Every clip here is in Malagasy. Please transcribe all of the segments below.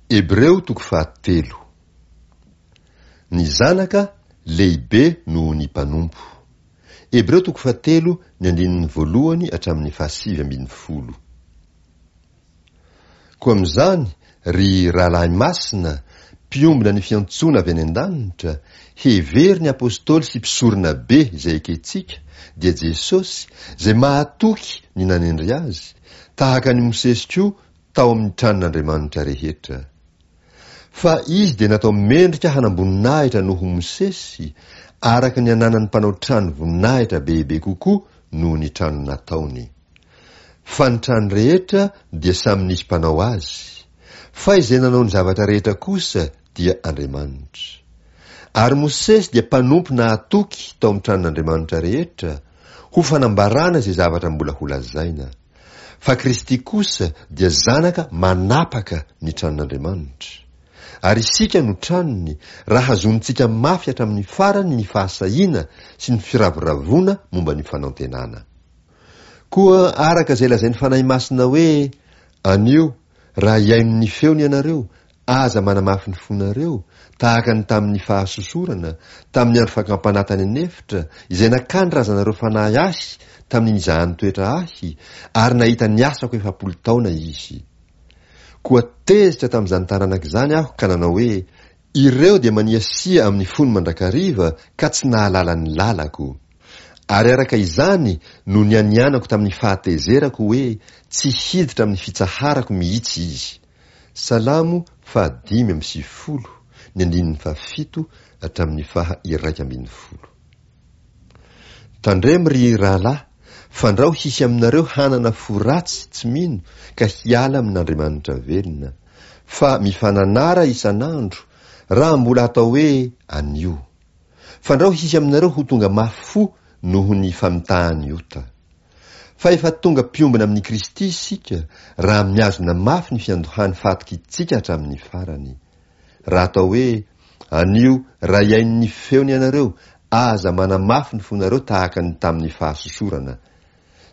Hebreo toko fahatelo. Ny zanaka lehibe noho ny mpanompo. Hebreo toko fahatelo ny andininy voalohany hatramin'ny fahasivy ambin'ny folo. Koa amin'izany, ry rahalahy masina, mpiombona ny fiantsoana avy any an-danitra, hevero ny apostoly sy mpisorona be izay ekentsika, dia Jesosy, izay mahatoky ny nanendry azy, tahaka an'i Mosesy koa tao amin'ny tranon'Andriamanitra rehetra. Fa izy dia natao mendrika hanam-boninahitra noho Mosesy, araka ny ananan'ny mpanao trano voninahitra bebe kokoa noho ny trano nataony. Fa ny trano rehetra dia samy nisy mpanao azy, fa izay nanao ny zavatra rehetra kosa dia Andriamanitra. Ary Mosesy dia mpanompo nahatoky tao amin'ny tranon'Andriamanitra rehetra, ho fanambarana izay zavatra mbola holazaina. Fa Kristy kosa dia Zanaka manapaka ny tranon'Andriamanitra. Ary isika no tranony, raha hazonintsika mafy hatramin'ny farany ny fahasahiana sy ny firavoravoana momba ny fanantenana. Koa araka izay lazain'ny Fanahy Masina hoe, Anio, raha hihaino ny feony ianareo, aza manamafy ny fonareo, tahaka ny tamin'ny fahasosorana, tamin'ny andro fakam-panahy tany an'efitra, izay nakany razanareo fanahy ahy tamin'ny nizahany toetra ahy, ary nahita ny asako 40 taona izy. Koa tezitra tamin'izany taranaka izany aho ka nanao hoe, Ireo dia maniasia amin'ny fony mandrakariva ka tsy nahalala ny lalako. Ary araka izany no nianianako tamin'ny fahatezerako hoe tsy hiditra amin'ny fitsaharako mihitsy izy. Salamo faha-95, ny andininy fahafito hatramin'ny faha-11. Tandremo ry rahalahy, fandrao hisy aminareo hanana fo ratsy tsy mino ka hiala amin'Andriamanitra velona, fa mifananara isan'andro, raha mbola atao hoe anio. Fandrao hisy aminareo ho tonga mafy fo noho ny famitahan'ny ota. Fa efa tonga mpiombona amin'i Kristy isika, raha mihazona mafy ny fiandohan'ny fahatokiantsika hatramin'ny farany. Raha atao hoe, Anio, raha hihaino ny feony ianareo, aza manamafy ny fonareo tahaka ny tamin'ny fahasosorana.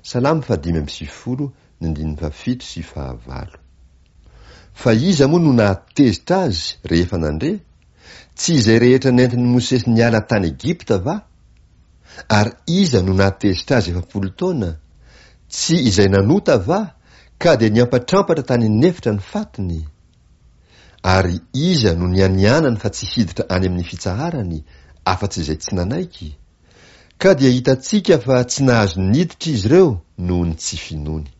Salamo faha-95, ny andininy fahafito sy fahavalo. Fa iza moa no nahatezitra azy rehefa nandre? Tsy izay rehetra nentin'i Mosesy niala tany Egypta va? Ary iza no nahatezitra azy 40 taona? Tsy izay nanota va, ka dia niampatrampatra tany an'efitra ny fatiny? Ary iza no nianianany fa tsy hiditra any amin'ny fitsaharany, afa-tsy izay tsy nanaiky? Ka dia hitantsika fa tsy nahazo niditra izy ireo noho ny tsy finoany.